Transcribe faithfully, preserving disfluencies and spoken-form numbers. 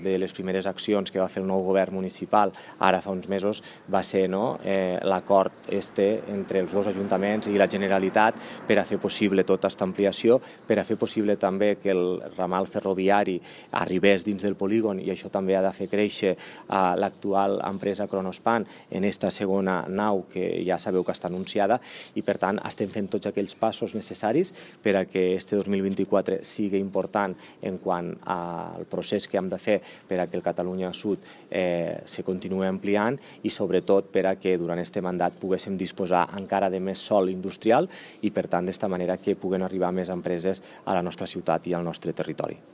de les primeres accions que va fer el nou govern municipal, ara fa uns mesos, va ser no, eh, l'acord este entre els dos ajuntaments i la Generalitat per a fer possible tota aquesta ampliació, per a fer possible també que el ramal ferroviari arribés dins del polígon, i això també ha de fer créixer eh, l'actual empresa Kronospan en esta segona nau que ja sabeu que està anunciada, i per tant estem fent tots aquells passos necessaris per a que este dos mil vint-i-quatre sigui important en quant al procés que hem de fer per a que el Catalunya Sud eh, se continuï ampliant, i sobretot per a que durant aquest mandat poguéssim disposar encara de més sòl industrial i per tant d'esta manera que puguen arribar més empreses a la nostra ciutat i al nostre territori.